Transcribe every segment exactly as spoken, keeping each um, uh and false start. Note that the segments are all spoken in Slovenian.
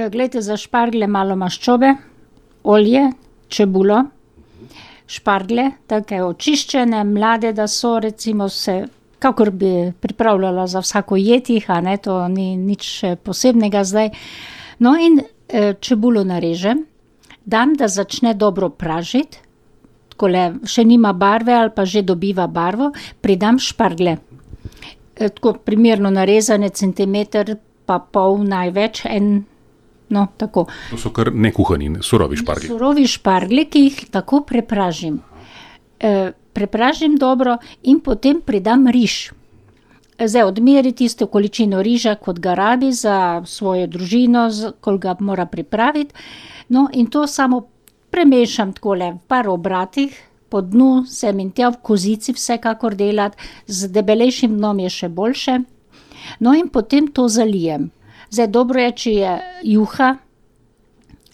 glejte, za šparglje malo maščobe, olje, čebulo, šparglje, take očiščene, mlade, da so, recimo se, kakor bi pripravljala za vsako jed jih, a ne, to ni nič posebnega zdaj. No in e, čebulo narežem, dam, da začne dobro pražiti, takole, še nima barve ali pa že dobiva barvo, pridam šparglje. E, tako primerno narezane, centimeter pa pol največ, en, no, tako. To so kar nekuhani, surovi šparglji. Surovi šparglji, ki jih tako prepražim. E, prepražim dobro in potem pridam riž. Zdaj odmeri tisto količino riža, kot ga rabi za svojo družino, koliko ga mora pripraviti. No, in to samo premešam takole v par obratih, po dnu sem in tja v kozici vsekakor delati, z debelejšim dnom je še boljše. No, in potem to zalijem. Zdaj, dobro je, če je juha,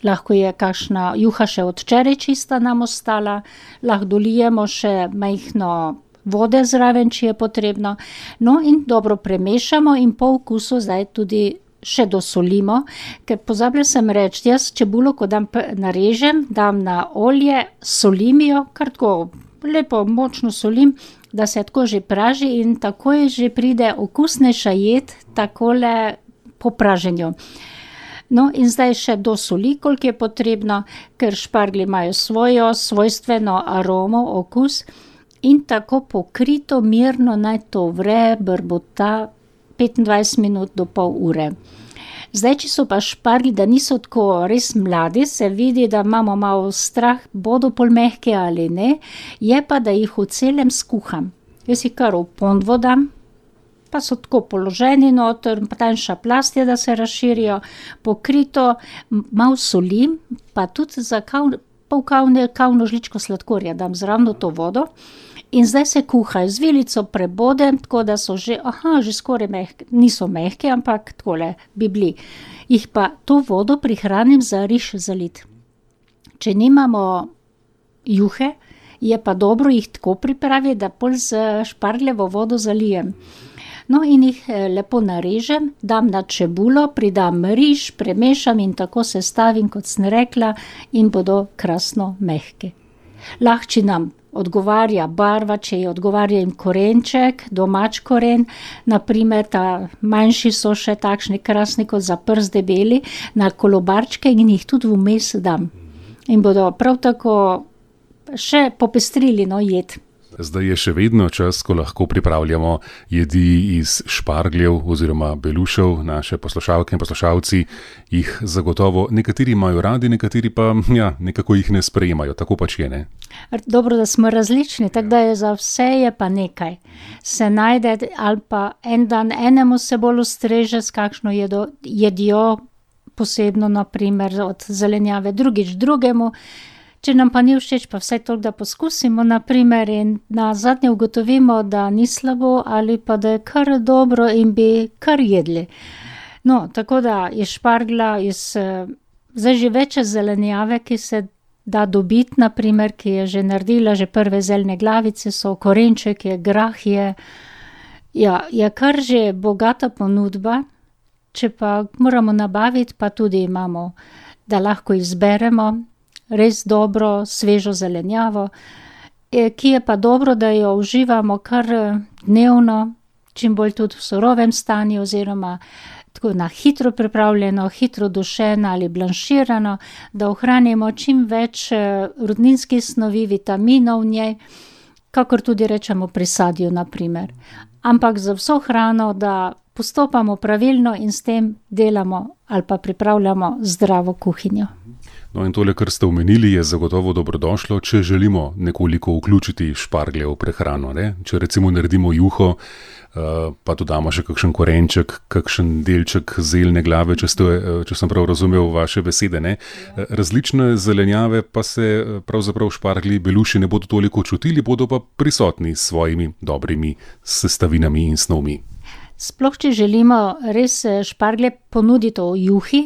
lahko je kakšna juha še od včeraj čista nam ostala, lahko dolijemo še majhno vode zraven, če je potrebno. No, in dobro premešamo in po okusu zdaj tudi še dosolimo, ker pozabila sem reči, jaz čebulo, ko dam narežem, dam na olje, solim jo, kar tako lepo močno solim, da se tako že praži in takoj že pride okusnejša jed, takole po praženju. No, in zdaj še dosoli, koliko je potrebno, ker šparglji imajo svojo svojstveno aromo, okus in tako pokrito, mirno naj to vre, brbota petindvajset minut do pol ure. Zdaj, če so pa šparglji, da niso tako res mladi, se vidi, da imamo malo strah, bodo pol mehke ali ne, je pa, da jih v celem skuham. Jaz jih kar v ponvo dam, pa so tako položeni noter, tanjša plast je, da se razširijo, pokrito, malo solim, pa tudi za kav, pol kavne, kavno žličko sladkorja dam zraven to vodo in zdaj se kuhajo, z vilico prebodem, tako da so že, aha, že skoraj mehke, niso mehke, ampak takole bi bili. Jih pa to vodo prihranim za riž zalit. Če nimamo juhe, je pa dobro jih tako pripraviti, da pol z špargljevo vodo zalijem. No, in jih lepo narežem, dam na čebulo, pridam riž, premešam in tako sestavim, kot sem rekla, in bodo krasno mehke. Lahko, če nam odgovarja barva, če je odgovarja jim korenček, domač koren, naprimer ta manjši so še takšni krasni, kot za prst debeli, na kolobarčke in jih tudi vmes dam. In bodo prav tako še popestrili, no, jed. Zdaj je še vedno čas, ko lahko pripravljamo jedi iz špargljev oziroma belušev. Naše poslušalke in poslušalci jih zagotovo nekateri imajo radi, nekateri pa ja, nekako jih ne sprejemajo. Tako pač je, ne? Dobro, da smo različni, tako da je za vse je pa nekaj. Se najde ali pa en dan enemu se bolj ustreže s kakšno jedo, jedijo posebno, naprimer od zelenjave, drugič drugemu. Če nam pa ni všeč, pa vsaj toliko, da poskusimo, naprimer, in nazadnje ugotovimo, da ni slabo ali pa da je kar dobro in bi kar jedli. No, tako da je šparglja iz, zdaj že več zelenjave, ki se da dobiti, naprimer, ki je že naredila, že prve zeljne glavice so, korenček je, grah je, ja, je kar že bogata ponudba, če pa moramo nabaviti, pa tudi imamo, da lahko izberemo, res dobro, svežo zelenjavo, ki je pa dobro, da jo uživamo kar dnevno, čim bolj tudi v surovem stanju oziroma tako na hitro pripravljeno, hitro dušeno ali blanširano, da ohranimo čim več rudninskih snovi, vitaminov v njej, kakor tudi rečemo pri sadju, naprimer. Ampak za vso hrano, da postopamo pravilno in s tem delamo ali pa pripravljamo zdravo kuhinjo. No in tole, kar ste omenili, je zagotovo dobrodošlo, če želimo nekoliko vključiti šparglje v prehrano, ne? Če recimo naredimo juho, pa dodamo še kakšen korenček, kakšen delček zeljne glave, če, ste, če sem prav razumel vaše besede, ne? Različne zelenjave pa se pravzaprav šparglji, beluši ne bodo toliko čutili, bodo pa prisotni s svojimi dobrimi sestavinami in snovmi. Sploh, če želimo res šparglje ponuditi v juhi,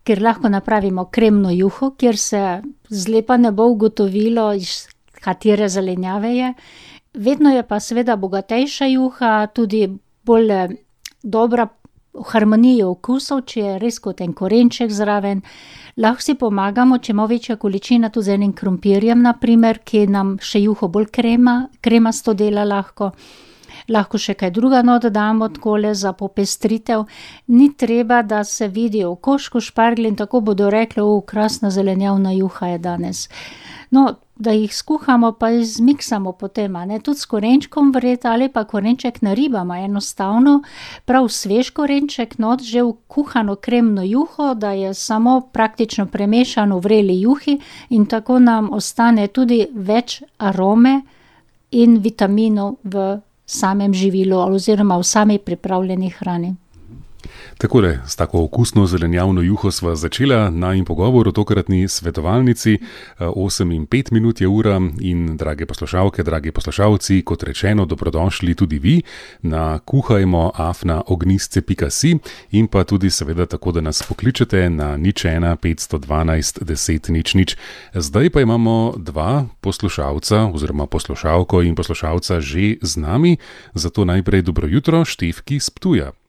ker lahko napravimo kremno juho, kjer se zlepa ne bo ugotovilo, iz katere zelenjave je. Vedno je pa seveda bogatejša juha, tudi bolj dobra harmoniji okusov, če je res kot en korenček zraven. Lahko si pomagamo, če ima večja količina, tudi z enim krompirjem, na primer, ki nam še juho bolj krema, kremasto dela lahko. Lahko še kaj druga not damo takole za popestritev. Ni treba, da se vidi v koščku šparglji in tako bodo rekli, o, krasna zelenjavna juha je danes. No, da jih skuhamo pa zmiksamo potem, a ne, tudi s korenčkom vred ali pa korenček naribamo enostavno, prav svež korenček, not že v kuhano kremno juho, da je samo praktično premešano v vreli juhi in tako nam ostane tudi več arome in vitaminov v samem živilu oziroma v sami pripravljeni hrani. Takole, s tako okusno zelenjavno juho sva začela najin pogovor o tokratni svetovalnici. osem in pet minut je ura in drage poslušalke, dragi poslušalci, kot rečeno, dobrodošli tudi vi na kuhajmo afna ognistce pika si in pa tudi seveda tako, da nas pokličete na nič ena petsto dvanajst deset nič nič. Zdaj pa imamo dva poslušalca oziroma poslušalko in poslušalca že z nami, zato najprej dobro jutro Štefki s Ptuja.